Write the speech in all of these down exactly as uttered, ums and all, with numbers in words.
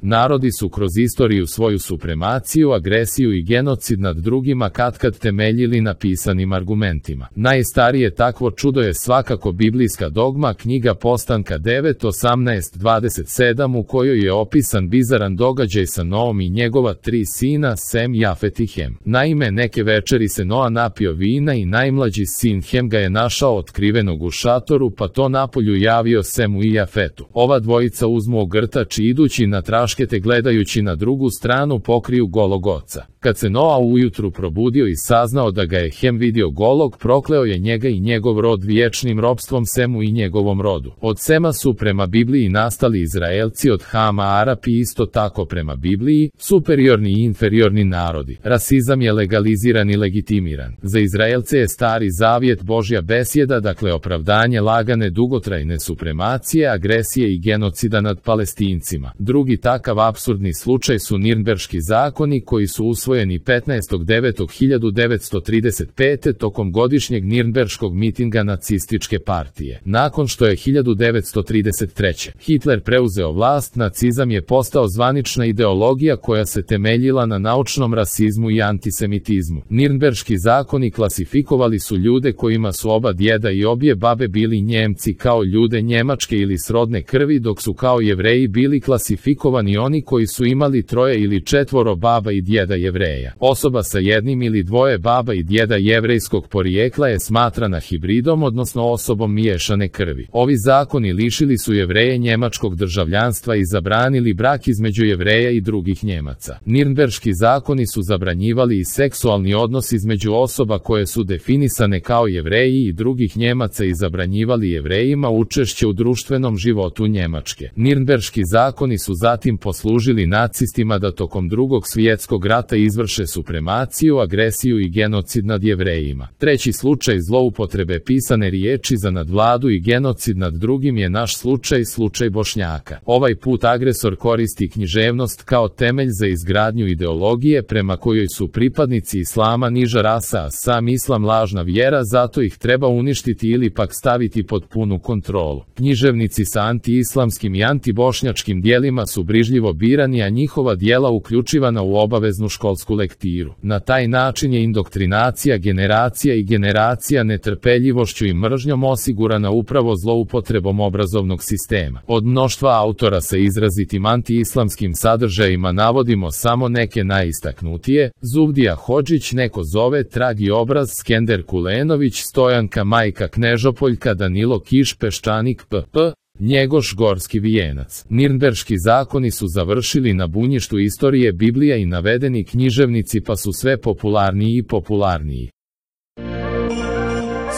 Narodi su kroz istoriju svoju supremaciju, agresiju i genocid nad drugima katkad temeljili na pisanim argumentima. Najstarije takvo čudo je svakako biblijska dogma, knjiga Postanka devet, osamnaest, dvadeset sedam, u kojoj je opisan bizaran događaj sa Noom i njegova tri sina, Sem, Jafet i Hem. Naime, neke večeri se Noa napio vina i najmlađi sin Hem ga je našao otkrivenog u šatoru, pa to napolju javio Semu i Jafetu. Ova dvojica uzmu ogrtač i idući na traškete gledajući na drugu stranu pokriju golog oca. Kad se Noa ujutru probudio i saznao da ga je Hem vidio golog, prokleo je njega i njegov rod vječnim ropstvom Semu i njegovom rodu. Od Sema su prema Bibliji nastali Izraelci, od Hama Arapi, isto tako prema Bibliji, superiorni i inferiorni narodi. Rasizam je legaliziran i legitimiran. Za Izraelce je Stari Zavjet Božja besjeda, dakle opravdanje lagane dugotrajne supremacije, agresije i genocida nad Palestincima. Drugi takav apsurdni slučaj su Nirnberški zakoni koji su usvojeni petnaestog devetog hiljadu devetsto trideset pete. tokom godišnjeg Nirnberškog mitinga nacističke partije. Nakon što je hiljadu devetsto trideset treće. Hitler preuzeo vlast, nacizam je postao zvanična ideologija koja se temeljila na naučnom rasizmu i antisemitizmu. Nirnberški zakoni klasifikovali su ljude kojima su oba djeda i obje babe bili Njemci kao ljude njemačke ili srodne krvi, dok su kao Jevreji bili klasifikovani oni koji su imali troje ili četvoro baba i djeda Jevreja. Osoba sa jednim ili dvoje baba i djeda jevrejskog porijekla je smatrana hibridom, odnosno osobom miješane krvi. Ovi zakoni lišili su Jevreje njemačkog državljanstva i zabranili brak između Jevreja i drugih Njemaca. Nirnberški zakoni su zabranjivali i seksualni odnos između osoba koje su definisane kao Jevreji i drugih Njemaca i zabranjivali Jevrejima učešće u društvenom životu Njemačke. Nirnberški zakoni su zatim poslužili nacistima da tokom Drugog svjetskog rata izvrše supremaciju, agresiju i genocid nad Jevrejima. Treći slučaj zloupotrebe pisane riječi za nadvladu i genocid nad drugim je naš slučaj, slučaj Bošnjaka. Ovaj put agresor koristi književnost kao temelj za izgradnju ideologije prema kojoj su pripadnici islama niža rasa, a sam islam lažna vjera, zato ih treba uništiti ili pak staviti pod punu kontrolu. Književnici sa anti-islamskim i anti-bošnjačkim dijelima su brižljivo birani, a njihova dijela uključivana u obaveznu školsku lektiru. Na taj način je indoktrinacija generacija i generacija netrpeljivošću i mržnjom osigurana upravo zloupotrebom obrazovnog sistema. Od mnoštva autora sa izrazitim anti-islamskim sadržajima navodimo samo neke najistaknutije: Zubdija Hodžić, Neko zove, Tragi obraz, Skender Kulenović, Stojanka Majka Knežopoljka, Danilo Kiš, Peščanik P P, Njegoš Gorski vijenac. Nirnberški zakoni su završili na bunjištu istorije Biblija i navedeni književnici pa su sve popularniji i popularniji.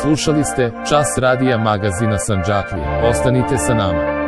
Slušali ste Čas radija magazina Sandžaklija. Ostanite sa nama.